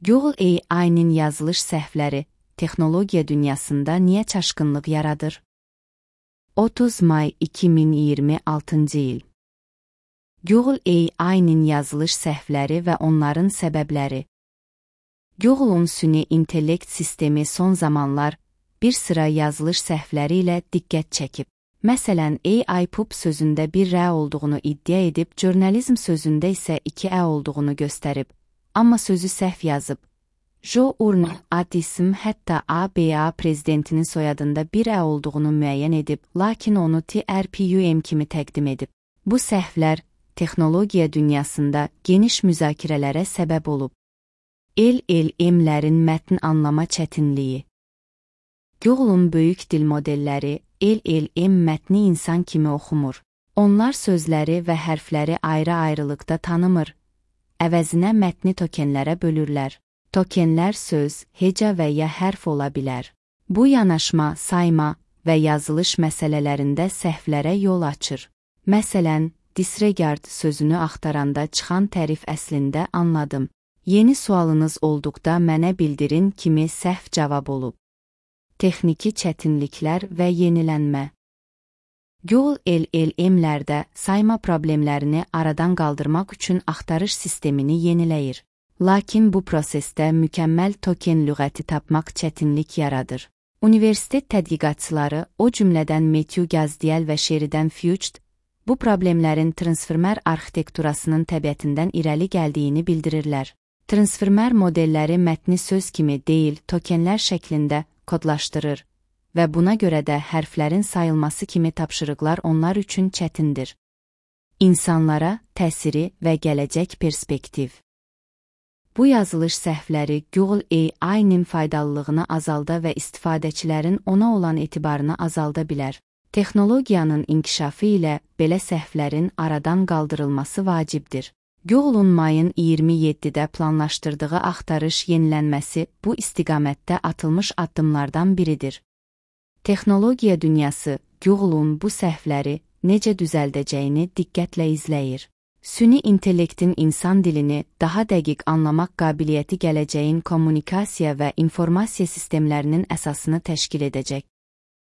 Google AI-nin yazılış səhvləri texnologiya dünyasında niyə çaşqınlıq yaradır? 30 may 2026-cı il. Google AI-nin yazılış səhvləri və onların səbəbləri. Google'un süni intellekt sistemi son zamanlar bir sıra yazılış səhvləri ilə diqqət çəkib. Məsələn, AI pub sözündə bir R olduğunu iddia edib, jurnalizm sözündə isə 2 ə olduğunu göstərib, amma sözü səhv yazıb. Joe Urner ad isim hətta ABA prezidentinin soyadında bir ə olduğunu müəyyən edib, lakin onu TRPUM kimi təqdim edib. Bu səhvlər texnologiya dünyasında geniş müzakirələrə səbəb olub. LLM-lərin mətn anlama çətinliyi. Google'un böyük dil modelləri LLM mətni insan kimi oxumur. Onlar sözləri və hərfləri ayrı-ayrılıqda tanımır. Əvəzinə mətni tokenlərə bölürlər. Tokenlər söz, heca və ya hərf ola bilər. Bu yanaşma, sayma və yazılış məsələlərində səhvlərə yol açır. Məsələn, disregard sözünü axtaranda çıxan tərif əslində anladım. Yeni sualınız olduqda mənə bildirin kimi səhv cavab olub. Texniki çətinliklər və yenilənmə. Google LLM-lərdə sayma problemlərini aradan qaldırmaq üçün axtarış sistemini yeniləyir. Lakin bu prosesdə mükəmməl token lüğəti tapmaq çətinlik yaradır. Universitet tədqiqatçıları, o cümlədən Matthew Gazdiel və Sheridan Fuchs, bu problemlərin transformer arxitekturasının təbiətindən irəli gəldiyini bildirirlər. Transformer modelləri mətni söz kimi deyil, tokenlər şəklində kodlaşdırır və buna görə də hərflərin sayılması kimi tapşırıqlar onlar üçün çətindir. İnsanlara təsiri və gələcək perspektiv. Bu yazılış səhvləri Google AI-nin faydalılığını azalda və istifadəçilərin ona olan etibarını azalda bilər. Texnologiyanın inkişafı ilə belə səhvlərin aradan qaldırılması vacibdir. Google'un mayın 27-də planlaşdırdığı axtarış yenilənməsi bu istiqamətdə atılmış addımlardan biridir. Texnologiya dünyası Google'un bu səhvləri necə düzəldəcəyini diqqətlə izləyir. Süni intellektin insan dilini daha dəqiq anlamaq qabiliyyəti gələcəyin kommunikasiya və informasiya sistemlərinin əsasını təşkil edəcək.